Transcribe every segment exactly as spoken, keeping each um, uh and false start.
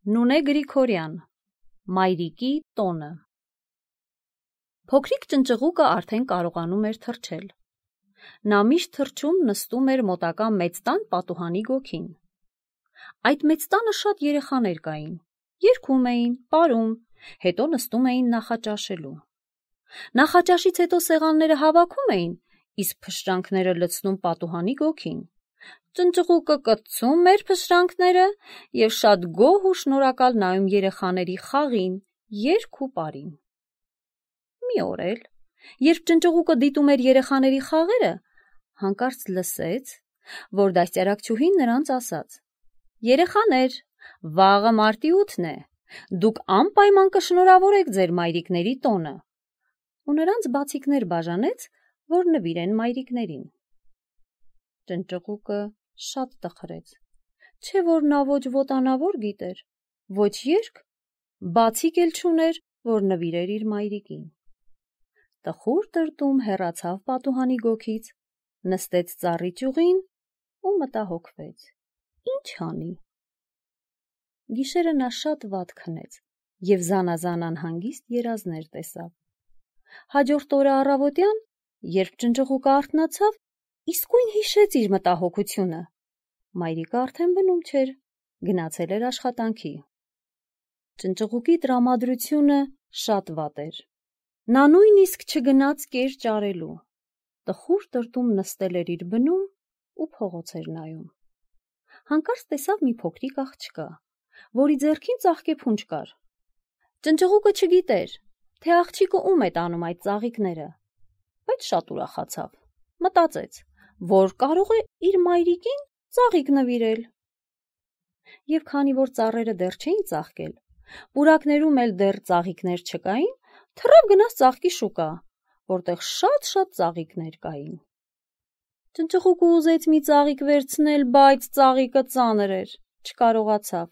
Նունե Գրիգորյան, Մայրիկի տոնը։ Փոքրիկ ճնճղուկը արդեն կարողանում էր թռչել։ Նա միշտ թռչում նստում էր մոտակա մեծ տան պատուհանի գոգին։ Այդ մեծ տանը շատ երեխաներ կային, երգում էին, պարում, հետո նստում էին նախաճաշելու։ Նախաճաշից հետո սեղանները հավաքում էին, իսկ փշրանքները լցնում պատուհանի գոգին։ Ճնճղուկը կծում էր փշրանքները և շատ գոհ ու շնորհակալ նայում երեխաների խաղին, երգ ու պարին։ Մի օր էլ, երբ ճնճղուկը դիտում էր երեխաների խաղերը, հանկարծ լսեց, որ դաստիարակչուհին նրանց ասաց. «Երեխաներ, վաղը մարտի ութն է, դուք անպայման կշնորհավորեք ձեր մայրիկների տոնը», ու նրանց բացիկներ բաժանեց, որ նվիրեն մայրիկներին։ Ճնճղուկը շատ տխրեց, չէ՞ որ նա ոչ ոտանավոր գիտեր, ոչ երգ, բացիկ էլ չուներ, որ նվիրեր իր մայրիկին։ Տխուր տրտում հեռացավ պատուհանի գոգից, նստեց ծառի ճյուղին ու մտահոգվեց. ինչ անի։ Գիշերը նա շատ վատ քնեց և զանազան անհանգիստ երազներ տեսավ։ Հաջորդ օրը առավոտյան, երբ ճնճղուկը արթնացավ, իսկույն հիշեց իր մտահոգությունը։ Մայրիկը արդեն բնում չէր, գնացել էր աշխատանքի։ Ճնճղուկի տրամադրությունը շատ վատ էր։ Նա նույնիսկ չգնաց կեր ճարելու։ Տխուր տրտում նստել էր իր բնում ու փողոց էր նայում։ Հանկարծ տեսավ մի փոքրիկ աղջկա, որի ձեռքին ծաղկեփունջ կար։ Ճնճղուկը չգիտեր, թե աղջիկը ում է տանում այդ ծաղիկները, բայց շատ ուրախացավ, մտածեց, որ կարող է իր մայրիկին ծաղիկ նվիրել։ Եվ քանի որ ծառերը դեռ չէին ծաղկել, պուրակներում էլ դեռ ծաղիկներ չկային, թռավ գնաց ծաղկի շուկա, որտեղ շատ-շատ ծաղիկներ կային։ Ճնճղուկը ուզեց մի ծաղիկ վերցնել, բայց ծաղիկը ծանր էր, չկարողացավ։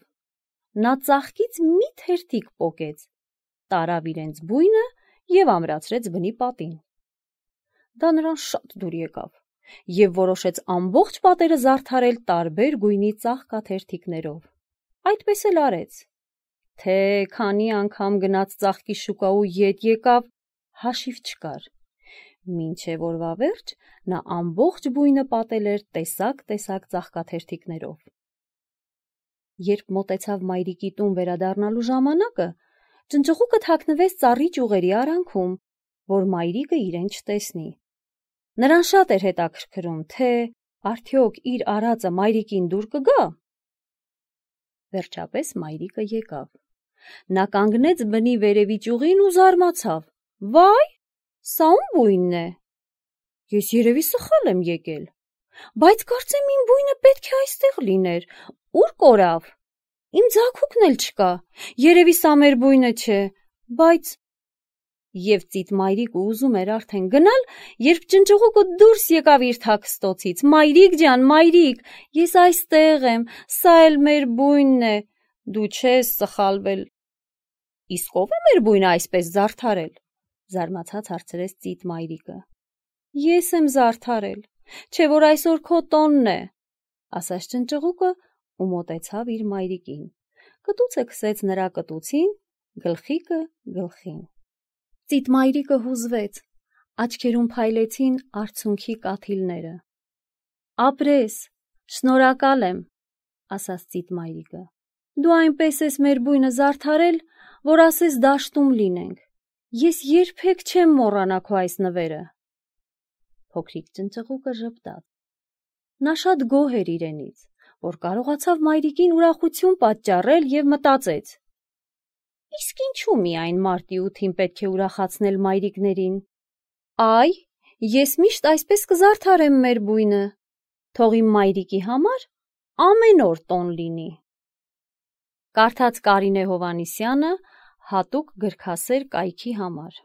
Նա ծաղկից մի թերթիկ պոկեց, տարավ իրենց բույնը և ամրացրեց բնի պատին։ Դա նրան շատ դուր եկավ, և որոշեց ամբողջ պատերը զարդարել տարբեր գույնի ծաղկաթերթիկներով։ Այդպես էլ արեց։ Թե քանի անգամ գնաց ծաղկի շուկա ու ետ եկավ, հաշիվ չկար, մինչև օրվա վերջ նա ամբողջ բույնը պատել էր տեսակ-տեսակ ծաղկաթերթիկներով։ Երբ մոտեցավ մայրիկի տուն վերադառնալու ժամանակը, ճնճղուկը թաքնվեց ծառի ճյուղերի արանքում, որ մայրիկը իրեն չտեսնի։ Նրան շատ էր հետաքրքրում, թե արդյոք իր արածը մայրիկին դուր կգա։ Վերջապես մայրիկը եկավ։ Նա կանգնեց բնի վերևի ճյուղին ու զարմացավ. «Վայ, սա ո՞ւմ բույնն է։ Ես երևի սխալ եմ եկել, բայց կարծեմ իմ բույնը պետք է այստեղ լիներ, ու՞ր կորավ։ Իմ ձագուկն էլ չկա, երևի սա մեր բույնը չէ, բայց…» Եվ ծիտ մայրիկը ուզում էր արդեն գնալ, երբ ճնճղուկը դուրս եկավ իր թաքստոցից. «Մայրիկ ջան, մայրիկ, ես այստեղ եմ, սա էլ մեր բույնն է, դու չես սխալվել»։ «Իսկ ո՞վ է մեր բույնը այսպես զարդարել», զարմացած հարցրեց ծիտ մայրիկը։ «Ես եմ զարդարել, չէ՞ որ այսօր քո տոնն է», ասաց ճնճղուկը ու մոտեցավ իր մայրիկին, կտուցը քսեց նրա կտուցին, գլխիկը գլխին։ Ծիտ մայրիկը հուզվեց, աչքերում փայլեցին արցունքի կաթիլները։ «Ապրես, շնորհակալ եմ», ասաց ծիտ մայրիկը։ «Դու այնպես ես մեր բույնը զարդարել, որ ասես դաշտում լինենք։ Ես երբեք չեմ մոռանա քո այս նվերը»։ Փոքրիկ ճնճղուկը ժպտաց։ Նա շատ գոհ էր իրենից, որ կարողացավ մայրիկին ուրախություն պատճառել և մտածեց. «Իսկ ինչու միայն մարտի ութին պետք է ուրախացնել մայրիկներին։ Այ, ես միշտ այսպես կզարդարեմ մեր բույնը, թող իմ մայրիկի համար ամեն օր տոն լինի»։ Կարդաց Կարինե Հովհաննիսյանը հատուկ գրքասեր կայքի համար։